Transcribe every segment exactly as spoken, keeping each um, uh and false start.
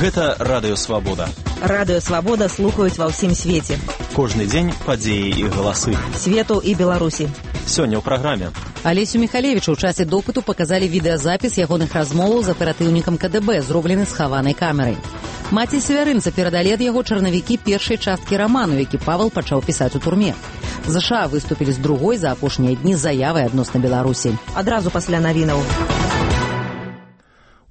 Гэта Радыё Свабода. Радыё Свабода слухаюць ва ўсім свеце. Кожны дзень падзеі і галасы. Свету і Беларусі. Сёння ў праграме. Алесю Михалевичу ў часе допыту паказалі відэазапіс ягоных размоваў з аператыўнікам ка дэ бэ, зроблены з хаванай камерай. Маці свярынца перадалі ад яго чарнавікі першай часткі раману, які Павел пачаў пісаць у турме. ЗША выступілі з другой за апошнія дні заявай адносна Беларусі. Адразу пасля навінаў.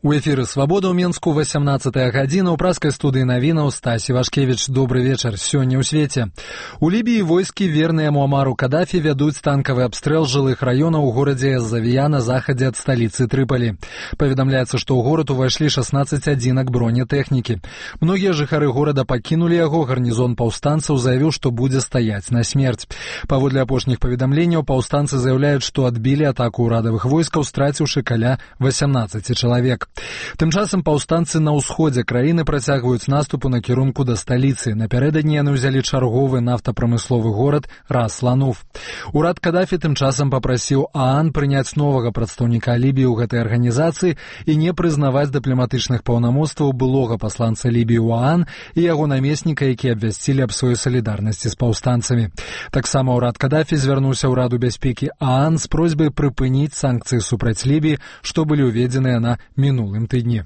У эфіры «Свабода» ў Менску, васямнаццатая гадзіна, ў праскай студыі навінаў Стась Івашкевіч. Добры вечар. Сёння ў свеце. У Лібіі войскі, верныя Муамару Кадафі, вядуць танкавы абстрэл жылых раёнаў у горадзе Завія на захадзе ад сталіцы Трыпалі. Паведамляецца, што ў горад увайшлі шаснаццаць адзінак бронетэхнікі. Многія жыхары горада пакінулі яго, гарнізон паўстанцаў заявіў, што будзе стаяць на смерць. Паводле апошніх паведамленняў, паўстанцы заяўляюць, што адбілі атаку ўрадавых войскаў, страціўшы каля васямнаццаці чалавек. Тым часам паўстанцы на ўсходзе краіны працягваюць наступ у накірунку да сталіцы. Напярэдадні яны ўзялі чарговы нафтапрамысловы горад Рас-Лануф. Урад Кадафі тым часам папрасіў ААН прыняць новага прадстаўніка Лібіі ў гэтай арганізацыі і не прызнаваць дыпламатычных паўнамоцтваў былога пасланца Лібіі ў ААН і яго намесніка, які абвясцілі аб сваёй салідарнасці з паўстанцамі. Таксама урад Кадафі звярнуўся ў Раду бяспекі ААН з просьбай прыпыніць санкцыі супраць Лібіі, што былі ўведзеныя на мінулым минулым тыдні.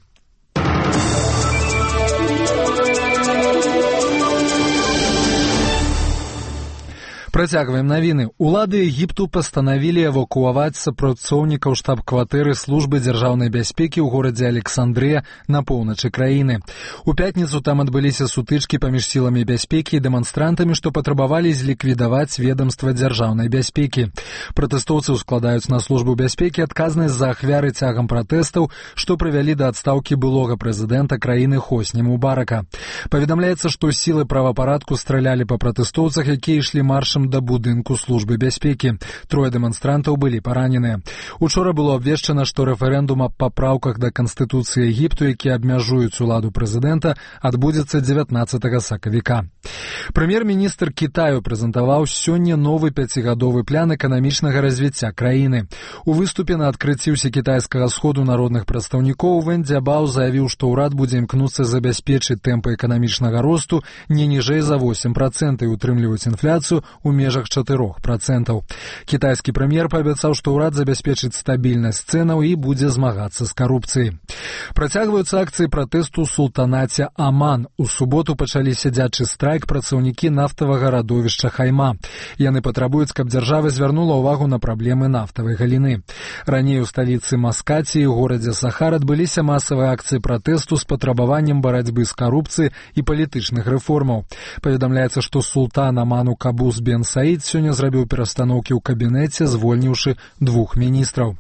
Працягваем навіны. Улады Егіпту пастанавілі эвакуаваць супрацоўнікаў штаб-кватэры службы дзяржаўнай бяспекі ў горадзе Александрыя на поўначы краіны. У пятніцу там адбыліся сутычкі паміж сіламі бяспекі і дэманстрантамі, што патрабавалі зліквідаваць ведамства дзяржаўнай бяспекі. Пратэстоўцы ўскладаюць на службу бяспекі адказнасць за ахвяры цягам пратэстаў, што прывялі да адстаўкі былога прэзідэнта краіны Хосні Мубарака. Паведамляецца, што сілы правапарадку стралялі па пратэстоўцах, якія ішлі маршам да будынку службы бяспекі. Трое дэманстрантаў былі параненыя. Учора было абвешчана, што рэферэндум аб папраўках да Канстытуцыі Егіпту, які абмяжуюць уладу прэзідэнта, адбудзецца дзевятнаццатага сакавіка. Прэм'ер-міністр Кітаю прэзентаваў сёння новы пяцігадовы план эканамічнага развіцця краіны. У выступе на адкрыцці ўсекітайскага сходу народных прадстаўнікоў Вэн Дзябао заявіў, што ўрад будзе імкнуцца забяспечыць тэмпы эканамічнага росту не ніжэй за восем працэнтаў і утрымліваць інфляцыю у межах чатырох працэнтаў. Кітайскі прэм'ер паабяцаў, што ўрад забяспечыць стабільнасць цэнаў і будзе змагацца з карупцыяй. Працягваюцца акцыі пратэсту ў султанаце Аман. У суботу пачалі сядзячы страйк працаўнікі нафтавага радовішча Хайма. Яны патрабуюць, каб дзяржава звярнула ўвагу на праблемы нафтавай галіны. Раней у сталіцы Маскаці і горадзе Сахар адбыліся масавыя акцыі пратэсту з патрабаваннем барацьбы з карупцыяй і палітычных рэформаў. Паведамляецца, што султан Аману Кабус бен Саід сёння зрабіў перастаноўкі ў кабінеце, звольніўшы двух міністраў.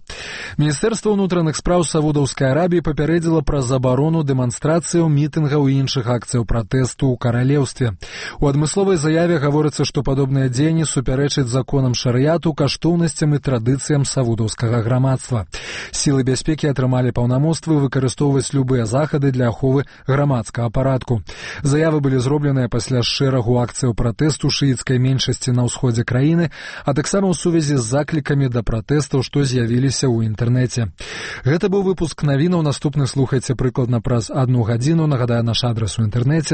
Міністэрства ўнутраных спраў Саудаўскай Арабіі папярэдзіла пра забарону дэманстрацыяў, мітынгаў і іншых акцыяў пратэсту ў каралеўстве. У адмысловай заяве гаворыцца, што падобныя дзеянні супярэчаць законам шарыяту, каштоўнасцям і традыцыям саудаўскага грамадства. Сілы бяспекі атрымалі паўнамоцтвы выкарыстоўваць любыя захады для аховы грамадскага парадку. Заявы былі зробленыя пасля шэрагу акцыяў пратэсту шыіцкай меншасці на ўсходзе краіны, а таксама ў сувязі з заклікамі да пратэстаў, што з'явіліся ў інтэрнэце. Гэта быў выпуск навінаў. Наступны слухайце прыкладна праз адну гадзіну. Нагадаю, наш адрас у інтэрнэце